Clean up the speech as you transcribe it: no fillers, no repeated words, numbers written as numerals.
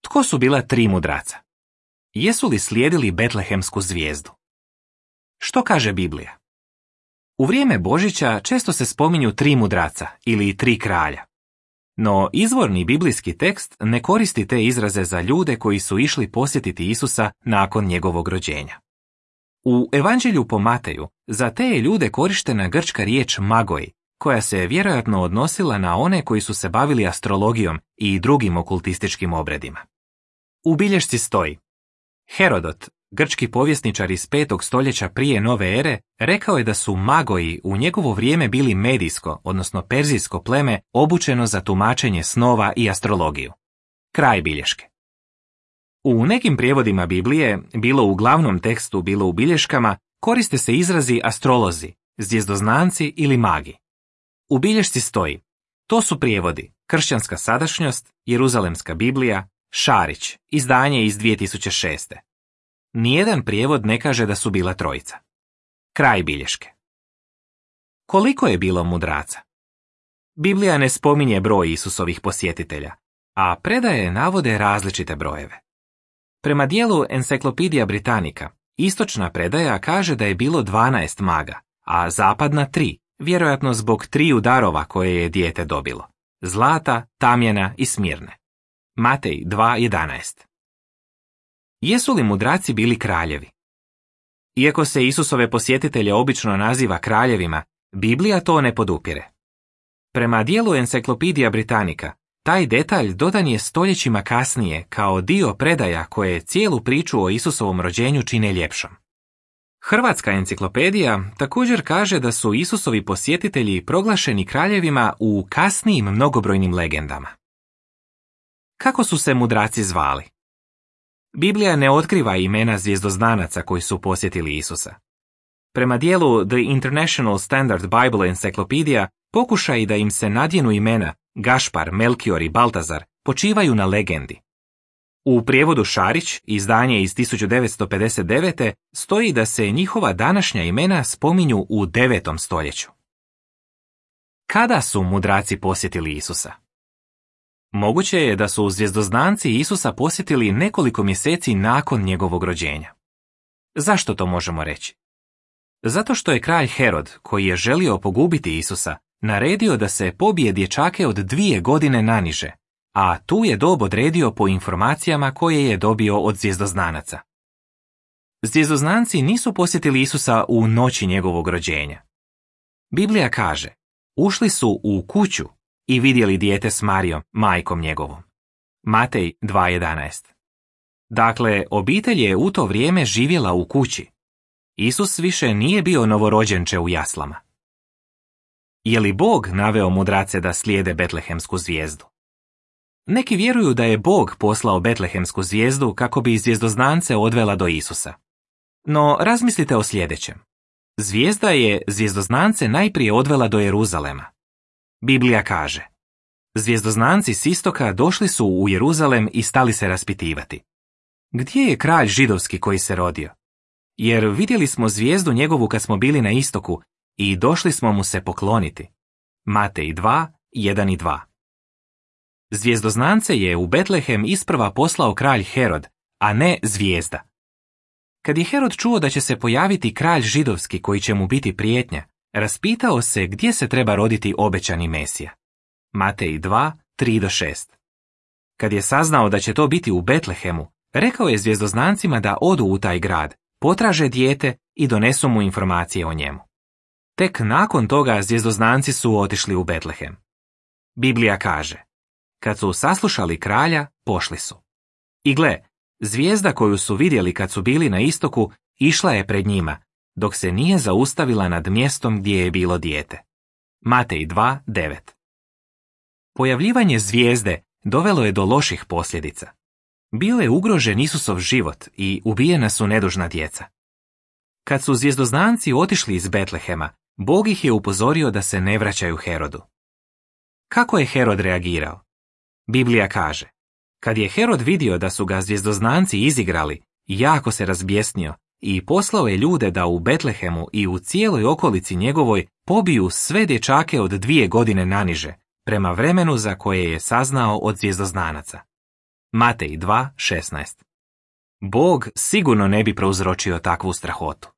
Tko su bila tri mudraca? Jesu li slijedili betlehemsku zvijezdu? Što kaže Biblija? U vrijeme Božića često se spominju tri mudraca ili tri kralja. No izvorni biblijski tekst ne koristi te izraze za ljude koji su išli posjetiti Isusa nakon njegovog rođenja. U Evanđelju po Mateju za te je ljude korištena grčka riječ magoi, koja se vjerojatno odnosila na one koji su se bavili astrologijom i drugim okultističkim obredima. U bilješci stoji: Herodot, grčki povjesničar iz 5. stoljeća prije nove ere, rekao je da su magoi u njegovo vrijeme bili medijsko, odnosno perzijsko pleme obučeno za tumačenje snova i astrologiju. Kraj bilješke. U nekim prijevodima Biblije, bilo u glavnom tekstu, bilo u bilješkama, koriste se izrazi astrolozi, zvjezdoznanci ili magi. U bilješci stoji: to su prijevodi Kršćanska sadašnjost, Jeruzalemska Biblija, Šarić, izdanje iz 2006. Nijedan prijevod ne kaže da su bila trojica. Kraj bilješke. Koliko je bilo mudraca? Biblija ne spominje broj Isusovih posjetitelja, a predaje navode različite brojeve. Prema dijelu Encyclopedia Britannica, istočna predaja kaže da je bilo 12 maga, a zapadna 3, vjerojatno zbog 3 darova koje je dijete dobilo: zlata, tamjana i smirne. Matej 2.11. Jesu li mudraci bili kraljevi? Iako se Isusove posjetitelje obično naziva kraljevima, Biblija to ne podupire. Prema dijelu Encyclopedia Britannica, taj detalj dodan je stoljećima kasnije kao dio predaja koje cijelu priču o Isusovom rođenju čine ljepšom. Hrvatska enciklopedija također kaže da su Isusovi posjetitelji proglašeni kraljevima u kasnijim mnogobrojnim legendama. Kako su se mudraci zvali? Biblija ne otkriva imena zvjezdoznanaca koji su posjetili Isusa. Prema dijelu The International Standard Bible Encyclopedia, pokušaji da im se nadjenu imena Gašpar, Melkior i Baltazar počivaju na legendi. U prijevodu Šarić, izdanje iz 1959. stoji da se njihova današnja imena spominju u 9. stoljeću. Kada su mudraci posjetili Isusa? Moguće je da su zvjezdoznanci Isusa posjetili nekoliko mjeseci nakon njegovog rođenja. Zašto to možemo reći? Zato što je kralj Herod, koji je želio pogubiti Isusa, naredio da se pobije dječake od 2 godine naniže, a tu je dob odredio po informacijama koje je dobio od zvjezdoznanaca. Zvjezdoznanci nisu posjetili Isusa u noći njegovog rođenja. Biblija kaže: ušli su u kuću i vidjeli dijete s Marijom, majkom njegovom. Matej 2.11. Dakle, obitelj je u to vrijeme živjela u kući. Isus više nije bio novorođenče u jaslama. Je li Bog naveo mudrace da slijede betlehemsku zvijezdu? Neki vjeruju da je Bog poslao betlehemsku zvijezdu kako bi zvjezdoznance odvela do Isusa. No, razmislite o sljedećem. Zvijezda je zvjezdoznance najprije odvela do Jeruzalema. Biblija kaže: zvjezdoznanci s istoka došli su u Jeruzalem i stali se raspitivati: gdje je kralj židovski koji se rodio? Jer vidjeli smo zvijezdu njegovu kad smo bili na istoku i došli smo mu se pokloniti. Matej 2.1 i 2. Zvjezdoznance je u Betlehem isprva poslao kralj Herod, a ne zvijezda. Kad je Herod čuo da će se pojaviti kralj židovski koji će mu biti prijetnja, raspitao se gdje se treba roditi obećani Mesija. Matej 2.3-6. Kad je saznao da će to biti u Betlehemu, rekao je zvjezdoznancima da odu u taj grad, potraže dijete i donesu mu informacije o njemu. Tek nakon toga zvjezdoznanci su otišli u Betlehem. Biblija kaže: kad su saslušali kralja, pošli su. I gle, zvijezda koju su vidjeli kad su bili na istoku išla je pred njima, dok se nije zaustavila nad mjestom gdje je bilo dijete. Matej 2.9. Pojavljivanje zvijezde dovelo je do loših posljedica. Bio je ugrožen Isusov život i ubijena su nedužna djeca. Kad su zvjezdoznanci otišli iz Betlehema, Bog ih je upozorio da se ne vraćaju Herodu. Kako je Herod reagirao? Biblija kaže: kad je Herod vidio da su ga zvjezdoznanci izigrali, jako se razbjesnio i poslao je ljude da u Betlehemu i u cijeloj okolici njegovoj pobiju sve dječake od 2 godine naniže, prema vremenu za koje je saznao od zvjezdoznanaca. Matej 2:16. Bog sigurno ne bi prouzročio takvu strahotu.